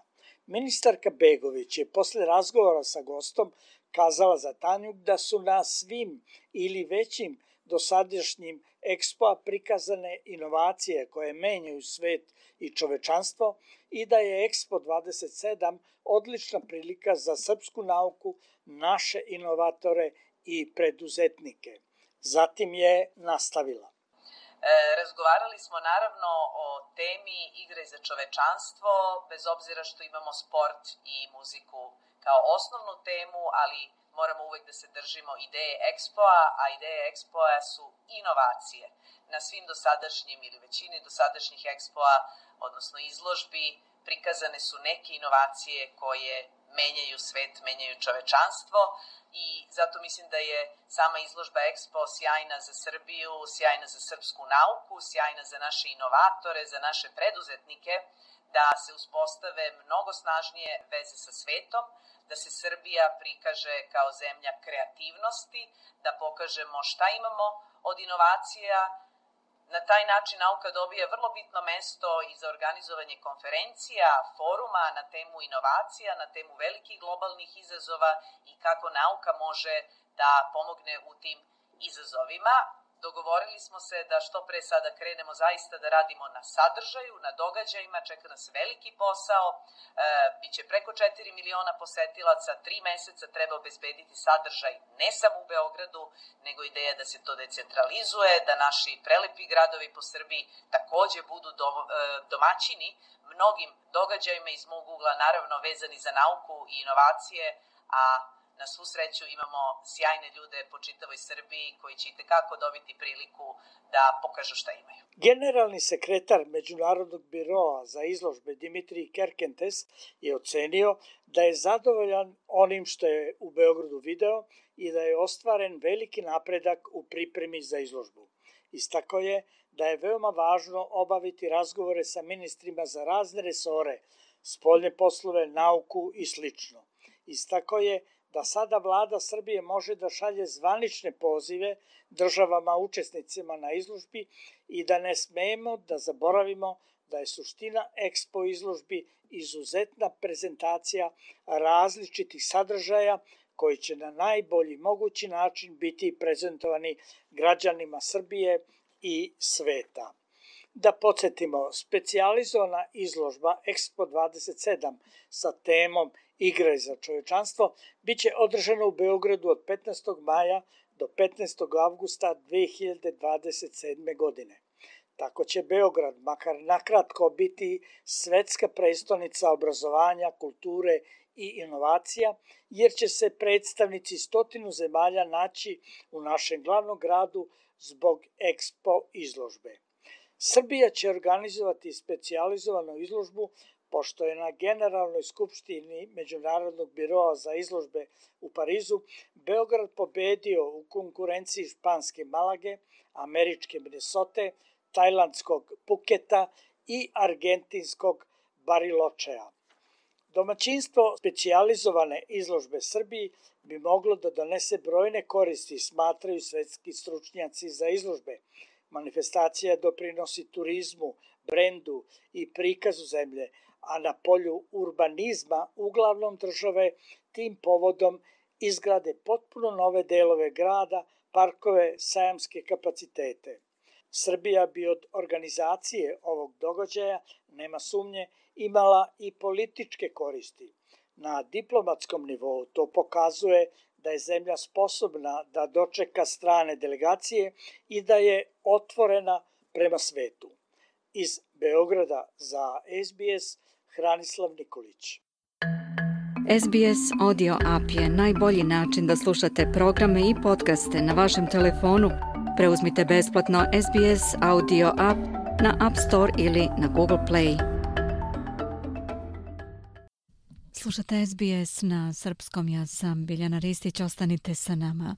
Ministarka Begović je posle razgovora sa gostom kazala za Tanjuk da su na svim ili većim dosadašnjim Expoa prikazane inovacije koje menjaju svet i čovečanstvo i da je Expo 27 odlična prilika za srpsku nauku, naše inovatore i preduzetnike. Zatim je nastavila. Razgovarali smo naravno o temi igre za čovečanstvo, bez obzira što imamo sport i muziku kao osnovnu temu, ali moramo uvek da se držimo ideje Expoa, a ideje Expoa su inovacije. Na svim dosadašnjim ili većini dosadašnjih Expoa, odnosno izložbi, prikazane su neke inovacije koje menjaju svet, menjaju čovečanstvo i zato mislim da je sama izložba Expo sjajna za Srbiju, sjajna za srpsku nauku, sjajna za naše inovatore, za naše preduzetnike, da se uspostave mnogo snažnije veze sa svetom, da se Srbija prikaže kao zemlja kreativnosti, da pokažemo šta imamo od inovacija. Na taj način nauka dobija vrlo bitno mesto i za organizovanje konferencija, foruma na temu inovacija, na temu velikih globalnih izazova i kako nauka može da pomogne u tim izazovima. Dogovorili smo se da što pre sada krenemo zaista da radimo na sadržaju, na događajima, čeka nas veliki posao, biće preko 4 miliona posetilaca, 3 meseca treba obezbediti sadržaj ne samo u Beogradu, nego ideja da se to decentralizuje, da naši prelepi gradovi po Srbiji takođe budu domaćini mnogim događajima iz mog ugla, naravno vezani za nauku i inovacije, a na svu sreću imamo sjajne ljude po čitavoj Srbiji koji će itekako dobiti priliku da pokažu šta imaju. Generalni sekretar Međunarodnog biroa za izložbe Dimitrij Kerkentes je ocenio da je zadovoljan onim što je u Beogradu video i da je ostvaren veliki napredak u pripremi za izložbu. Istakao je da je veoma važno obaviti razgovore sa ministrima za razne resore, spoljne poslove, nauku i slično. Istakao je da sada vlada Srbije može da šalje zvanične pozive državama učesnicima na izložbi i da ne smemo da zaboravimo da je suština Expo izložbi izuzetna prezentacija različitih sadržaja koji će na najbolji mogući način biti prezentovani građanima Srbije i sveta. Da podsjetimo, specijalizovana izložba Expo 27 sa temom Igre za čovečanstvo biće održana u Beogradu od 15. maja do 15. avgusta 2027. godine. Tako će Beograd, makar nakratko, biti svetska prestonica obrazovanja, kulture i inovacija, jer će se predstavnici 100 zemalja naći u našem glavnom gradu zbog Expo izložbe. Srbija će organizovati specijalizovanu izložbu, pošto je na Generalnoj skupštini Međunarodnog biroa za izložbe u Parizu Beograd pobedio u konkurenciji španske Malage, američke Minnesote, tajlandskog Puketa i argentinskog Bariločea. Domaćinstvo specijalizovane izložbe Srbiji bi moglo da donese brojne koristi, smatraju svetski stručnjaci za izložbe. Manifestacija doprinosi turizmu, brendu i prikazu zemlje, a na polju urbanizma uglavnom države tim povodom izgrade potpuno nove delove grada, parkove, sajamske kapacitete. Srbija bi od organizacije ovog događaja, nema sumnje, imala i političke koristi. Na diplomatskom nivou to pokazuje da je zemlja sposobna da dočeka strane delegacije i da je otvorena prema svetu. Iz Beograda za SBS, Hranislav Nikolić. SBS Audio App je najbolji način da slušate programe i podcaste na vašem telefonu. Preuzmite besplatno SBS Audio App na App Store ili na Google Play. Slušate SBS na srpskom, ja sam Biljana Ristić, ostanite sa nama.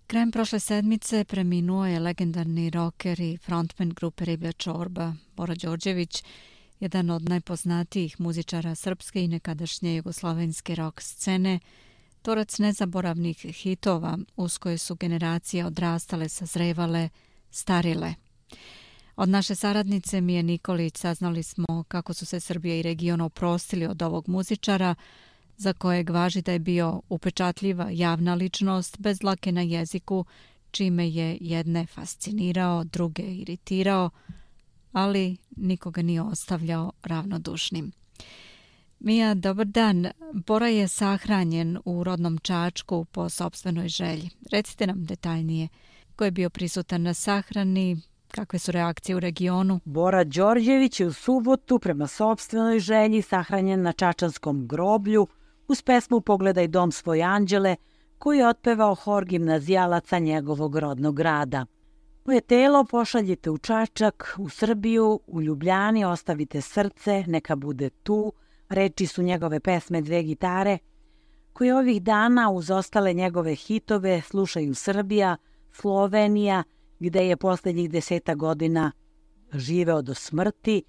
Krajem prošle sedmice preminuo je legendarni rocker i frontman grupe Riblja čorba, Bora Đorđević, jedan od najpoznatijih muzičara srpske i nekadašnje jugoslovenske rock scene, tvorac nezaboravnih hitova uz koje su generacije odrastale, sazrevale, starile. Od naše saradnice Mije Nikolić saznali smo kako su se Srbija i region oprostili od ovog muzičara, za kojeg važi da je bio upečatljiva javna ličnost bez dlake na jeziku, čime je jedne fascinirao, druge iritirao, ali nikoga nije ostavljao ravnodušnim. Mija, dobar dan. Bora je sahranjen u rodnom Čačku po sopstvenoj želji. Recite nam detaljnije ko je bio prisutan na sahrani, kakve su reakcije u regionu? Bora Đorđević je u subotu prema sopstvenoj želji sahranjen na čačanskom groblju uz pesmu Pogledaj dom svoj anđele, koju je otpevao hor gimnazijalaca njegovog rodnog grada. Moje telo pošaljite u Čačak, u Srbiju, u Ljubljani ostavite srce, neka bude tu, reči su njegove pesme Dve gitare, koje ovih dana uz ostale njegove hitove slušaju Srbija, Slovenija, gde je posljednjih 10 godina živeo do smrti,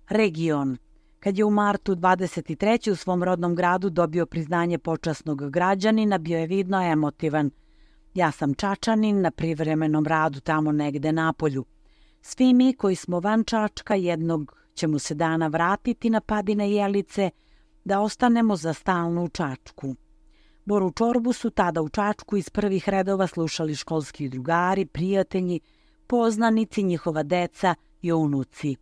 region. Kad je u martu 23. u svom rodnom gradu dobio priznanje počasnog građanina, bio je vidno emotivan. Ja sam Čačanin na privremenom radu tamo negde na polju. Svi mi koji smo van Čačka jednog ćemo se dana vratiti na Padine Jelice da ostanemo za stalno u Čačku. Boru čorbu su tada u Čačku iz prvih redova slušali školski drugari, prijatelji, poznanici, njihova deca i unuci.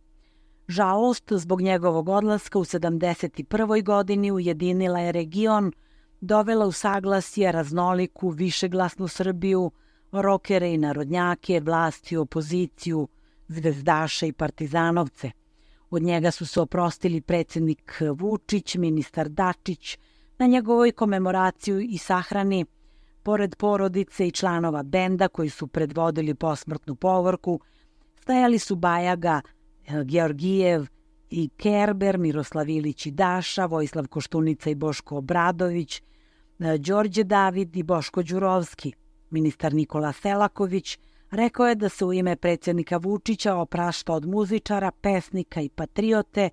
Žalost zbog njegovog odlaska u 71. godini ujedinila je region, dovela u saglasje raznoliku, višeglasnu Srbiju, rokere i narodnjake, vlast i opoziciju, zvezdaše i partizanovce. Od njega su se oprostili predsjednik Vučić, ministar Dačić, na njegovoj komemoraciju i sahrani, pored porodice i članova benda koji su predvodili posmrtnu povorku, stajali su Bajaga, Georgijev i Kerber, Miroslav Ilić i Daša, Vojislav Koštunica i Boško Obradović, Đorđe David i Boško Đurovski. Ministar Nikola Selaković rekao je da se u ime predsjednika Vučića oprašta od muzičara, pesnika i patriote,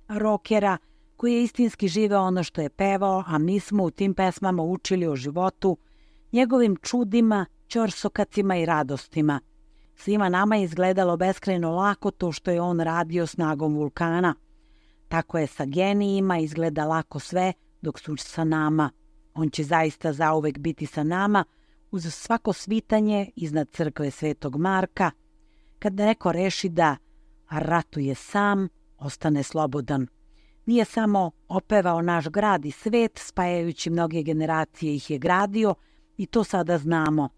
rokera, koji je istinski živeo ono što je pevao, a mi smo u tim pesmama učili o životu, njegovim čudima, ćorsokacima i radostima. Svima nama je izgledalo beskrajno lako to što je on radio snagom vulkana. Tako je sa genijima izgleda lako sve dok su sa nama. On će zaista zauvek biti sa nama uz svako svitanje iznad crkve Svetog Marka, kad neko reši da ratuje sam, ostane slobodan. Nije samo opevao naš grad i svet, spajajući mnoge generacije ih je gradio i to sada znamo.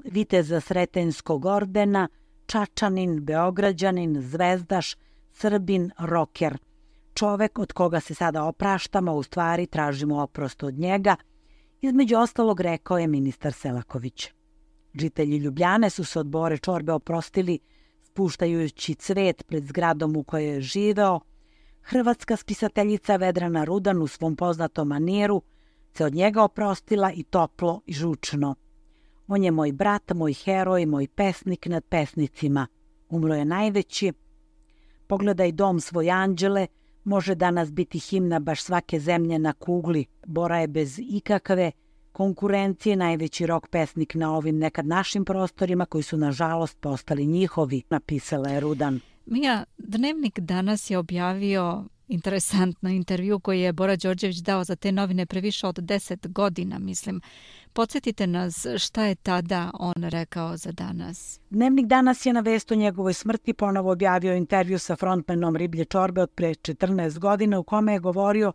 Viteza Sretenskog ordena, Čačanin, Beograđanin, zvezdaš, Srbin, roker. Čovek od koga se sada opraštamo, u stvari tražimo oprost od njega, između ostalog rekao je ministar Selaković. Žitelji Ljubljane su se od Bore Čorbe oprostili spuštajući cvet pred zgradom u kojoj je živeo. Hrvatska spisateljica Vedrana Rudan u svom poznatom maniru se od njega oprostila i toplo i žučno. On je moj brat, moj heroj, moj pesnik nad pesnicima. Umro je najveći. Pogledaj dom svoj anđele, može danas biti himna baš svake zemlje na kugli. Bora je bez ikakve konkurencije najveći rock pesnik na ovim nekad našim prostorima koji su nažalost postali njihovi, napisala je Rudan. Mija, Dnevnik danas je objavio interesantno intervju koji je Bora Đorđević dao za te novine pre više od 10 godina, mislim. Podsjetite nas šta je tada on rekao za danas. Dnevnik danas je na vest o njegovoj smrti ponovo objavio intervju sa frontmanom Riblje Čorbe od pre 14 godina u kome je govorio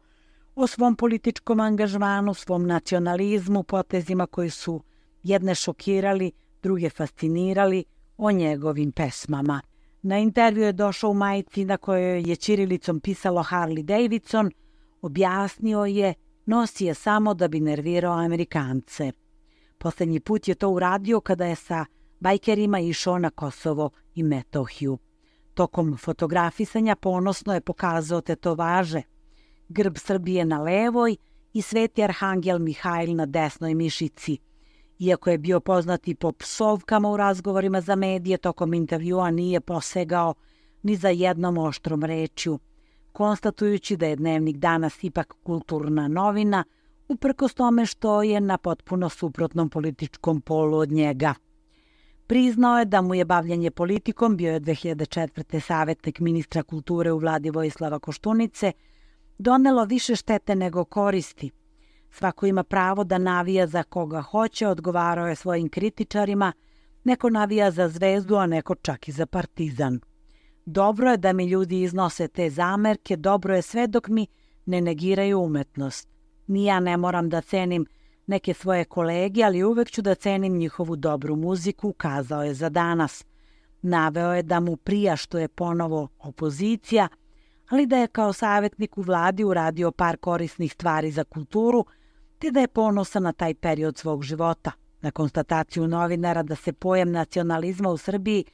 o svom političkom angažmanu, svom nacionalizmu, potezima koji su jedne šokirali, druge fascinirali, o njegovim pesmama. Na intervju je došao u majici na kojoj je ćirilicom pisalo Harley Davidson, objasnio je, nosi je samo da bi nervirao Amerikance. Posljednji put je to uradio kada je sa bajkerima išao na Kosovo i Metohiju. Tokom fotografisanja ponosno je pokazao tetovaže, grb Srbije na levoj i Sveti Arhangel Mihajl na desnoj mišici. Iako je bio poznati po psovkama u razgovorima za medije, tokom intervjua nije posegao ni za jednom oštrom rečju, konstatujući da je Dnevnik danas ipak kulturna novina, uprkos tome što je na potpuno suprotnom političkom polu od njega. Priznao je da mu je bavljanje politikom, bio je 2004. savjetnik ministra kulture u vladi Vojislava Koštunice, donelo više štete nego koristi. Svako ima pravo da navija za koga hoće, odgovarao je svojim kritičarima, neko navija za Zvezdu, a neko čak i za Partizan. Dobro je da mi ljudi iznose te zamerke, dobro je sve dok mi ne negiraju umetnost. Ni ja ne moram da cenim neke svoje kolege, ali uvek ću da cenim njihovu dobru muziku, kazao je za danas. Naveo je da mu prija što je ponovo opozicija, ali da je kao savjetnik u vladi uradio par korisnih stvari za kulturu, te da je ponosan na taj period svog života. Na konstataciju novinara da se pojam nacionalizma u Srbiji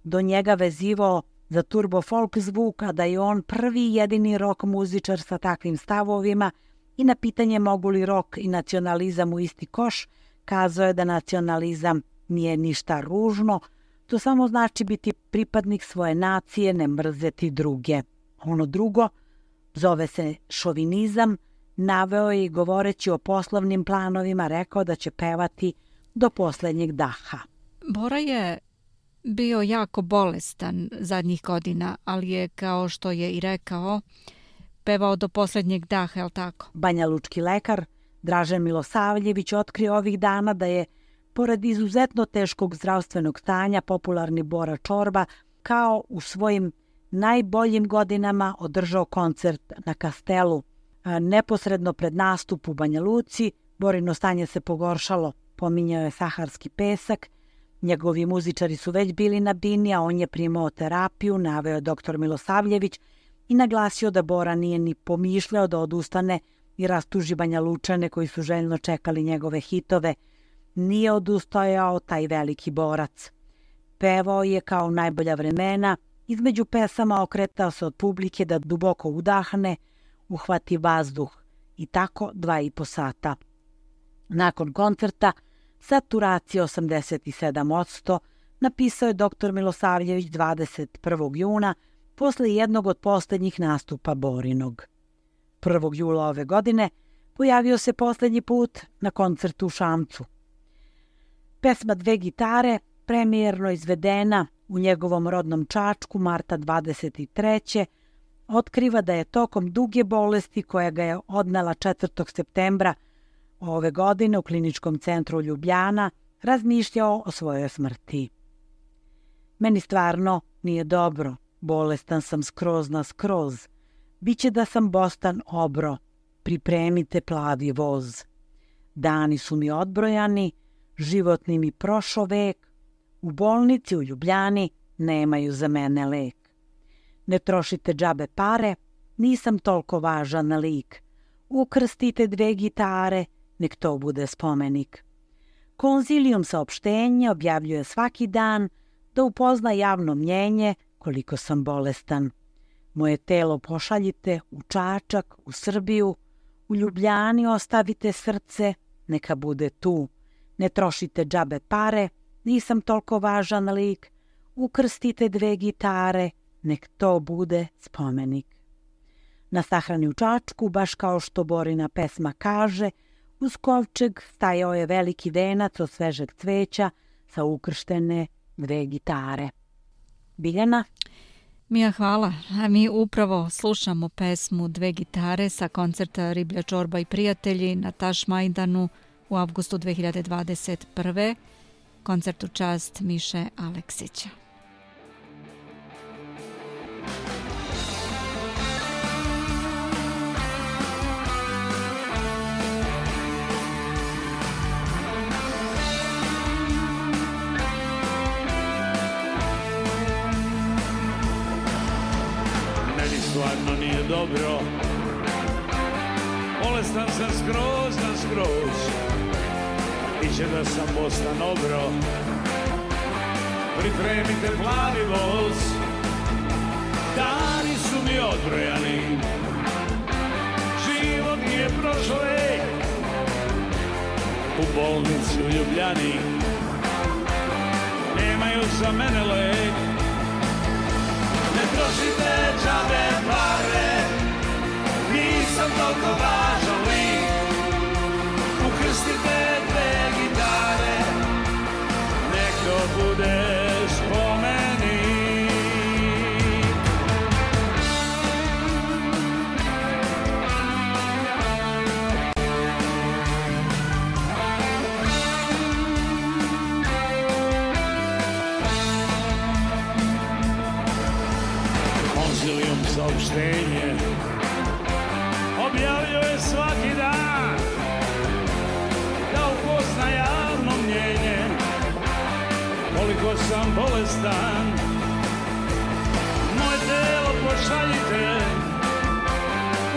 do njega vezivao za turbo folk zvuk, a da je on prvi i jedini rock muzičar sa takvim stavovima, i na pitanje mogu li rock i nacionalizam u isti koš, kazao je da nacionalizam nije ništa ružno, to samo znači biti pripadnik svoje nacije, ne mrzeti druge. Ono drugo zove se šovinizam, naveo je i govoreći o poslovnim planovima rekao da će pevati do posljednjeg daha. Bora je bio jako bolestan zadnjih godina, ali je, kao što je i rekao, pevao do posljednjeg daha, je li tako? Banja Lučki lekar Dražen Milosavljević otkrio ovih dana da je, pored izuzetno teškog zdravstvenog stanja, popularni Bora Čorba kao u svojim najboljim godinama održao koncert na Kastelu. Neposredno pred nastup u Banja Luci, Borino stanje se pogoršalo, pominjao je saharski pesak, njegovi muzičari su već bili na bini, a on je primao terapiju, naveo je dr. Milosavljević i naglasio da Bora nije ni pomišljao da odustane i rastuži Banja Lučane koji su željno čekali njegove hitove. Nije odustajao taj veliki borac. Pevao je kao najbolja vremena, između pesama okretao se od publike da duboko udahne, uhvati vazduh i tako 2,5 sata. Nakon koncerta, saturacija 87%, napisao je dr. Milosavljević 21. juna posle jednog od posljednjih nastupa Borinog. 1. jula ove godine pojavio se posljednji put na koncertu u Šamcu. Pesma Dve gitare, premijerno izvedena u njegovom rodnom Čačku marta 23. otkriva da je tokom duge bolesti koja ga je odnela 4. septembra ove godine u kliničkom centru Ljubljana razmišljao o svojoj smrti. Meni stvarno nije dobro, bolestan sam skroz na skroz. Biće da sam bostan obro, pripremite plavi voz. Dani su mi odbrojani, životni mi prošao vek, u bolnici u Ljubljani nemaju za mene lek. Ne trošite džabe pare, nisam toliko važan lik. Ukrstite 2 gitare, nek to bude spomenik. Konzilijum saopštenja objavljuje svaki dan da upozna javno mnjenje koliko sam bolestan. Moje telo pošaljite u Čačak, u Srbiju, u Ljubljani ostavite srce, neka bude tu. Ne trošite džabe pare, nisam toliko važan lik. Ukrstite 2 gitare, nek to bude spomenik. Na sahrani u Čačku, baš kao što Borina pesma kaže, uz kovčeg stajao je veliki venac od svežeg cveća sa ukrštene 2 gitare. Biljana? Mija, hvala. A mi upravo slušamo pesmu 2 gitare sa koncerta Riblja čorba i prijatelji na Tašmajdanu u avgustu 2021. Koncert u čast Miše Aleksića. Stvarno nije dobro, bolestan sam skroz na skroz, iće da sam bostan obro, pripremite plavi voz. Dani su mi odbrojani, život nije prošao vek, u bolnici u Ljubljani nemaju za mene lek. Ne trošite džabe pare, nisam toliko važan lik. Ukrstite 2 gitare, nek to bude spomenik. Konzilijum saopštenje objavljuje svaki dan da upozna javno mnjenje koliko sam bolestan. Moje telo pošaljite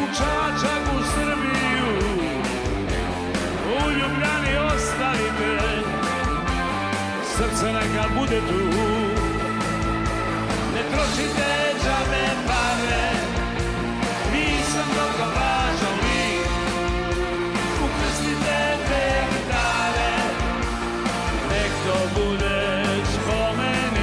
u Čačak, u Srbiju, u Ljubljani ostavite, srce neka bude tu. Ne trošite džabe pare, nisam toliko važan lik. Ukrstite 2 gitare, nek to bude spomenik.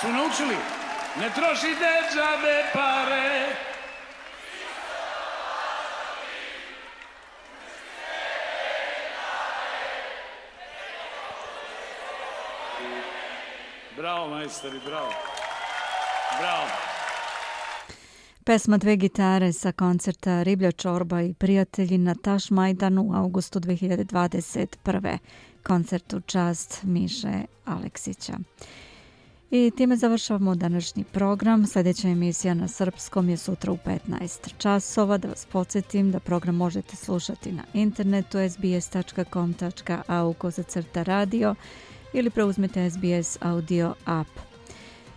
Su naučili? Ne trošite džabe pare. Bravo, majstori, bravo. Bravo. Pesma Dve gitare sa koncerta Riblja čorba i prijatelji na Tašmajdanu u augustu 2021. Koncert u čast Miše Aleksića. I time završavamo današnji program. Sljedeća emisija na srpskom je sutra u 15 časova. Da vas podsjetim da program možete slušati na internetu sbs.com.au/radio ili preuzmite SBS audio app.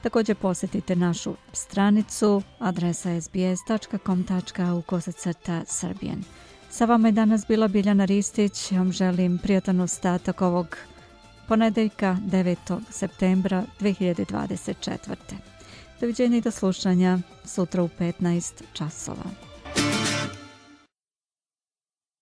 Također posjetite našu stranicu, adresa sbs.com.au/Serbian. Sa vama je danas bila Biljana Ristić. Ja vam želim prijatan ostatak ovog ponedeljka 9. septembra 2024. Doviđenja i do slušanja sutra u 15 časova.